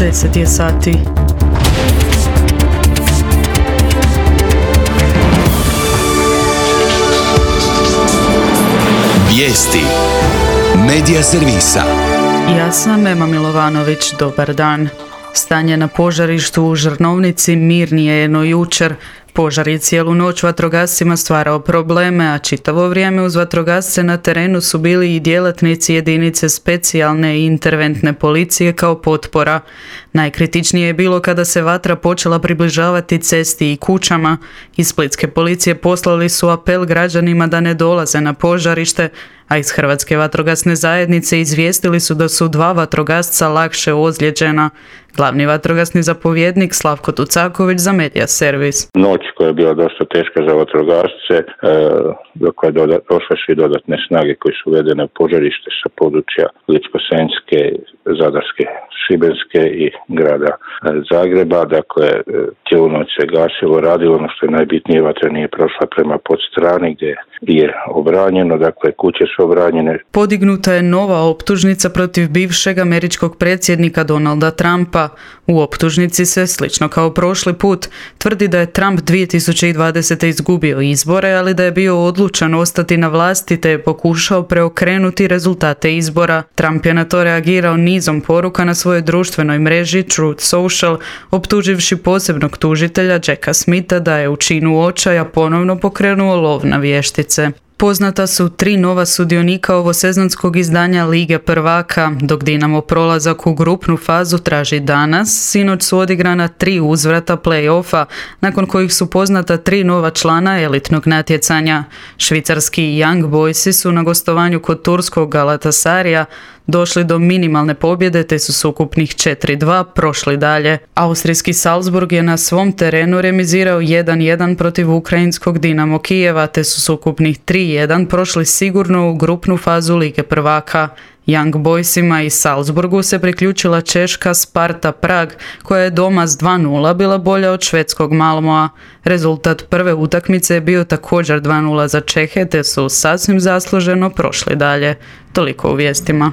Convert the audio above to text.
10 je sati. Vijesti Medija servisa. Ja sam Ema Milovanović, dobar dan. Stanje na požarištu u Žrnovnici mirnije je no jučer. Požar je cijelu noć vatrogascima stvarao probleme, a čitavo vrijeme uz vatrogasce na terenu su bili i djelatnici jedinice specijalne i interventne policije kao potpora. Najkritičnije je bilo kada se vatra počela približavati cesti i kućama. Iz splitske policije poslali su apel građanima da ne dolaze na požarište, a iz Hrvatske vatrogasne zajednice izvijestili su da su 2 vatrogasca lakše ozlijeđena. Glavni vatrogasni zapovjednik Slavko Tucaković za Medija servis. Noć koja je bila dosta teška za vatrogasce, dok je došle su i dodatne snage koje su uvedene u požarište sa područja Ličko-senjske, Zadarske, Šibenske i grada Zagreba. Dakle, cijelu noć se gasilo, radilo. Ono što je najbitnije, vatra nije prošla prema podstrani gdje je obranjeno, dakle kuće su obranjene. Podignuta je nova optužnica protiv bivšeg američkog predsjednika Donalda Trumpa. U optužnici se, slično kao prošli put, tvrdi da je Trump 2020. izgubio izbore, ali da je bio odlučan ostati na vlasti te je pokušao preokrenuti rezultate izbora. Trump je na to reagirao nizom poruka na svojoj društvenoj mreži Truth Social, optuživši posebnog tužitelja Jacka Smitha da je u činu očaja ponovno pokrenuo lov na vještice. Poznata su 3 nova sudionika ovosezonskog izdanja Lige prvaka, dok Dinamo prolazak u grupnu fazu traži danas. Sinoć su odigrana 3 uzvrata play-offa, nakon kojih su poznata 3 nova člana elitnog natjecanja. Švicarski Young Boysi su na gostovanju kod turskog Galatasarija došli do minimalne pobjede te su s ukupnih 4-2 prošli dalje. Austrijski Salzburg je na svom terenu remizirao 1-1 protiv ukrajinskog Dinamo Kijeva te su s ukupnih 3-1 prošli sigurno u grupnu fazu Lige prvaka. Young Boysima i Salzburgu se priključila češka Sparta Prag, koja je doma s 2-0 bila bolja od švedskog Malmoa. Rezultat prve utakmice je bio također 2-0 za Čehe te su sasvim zasluženo prošli dalje. Toliko u vijestima.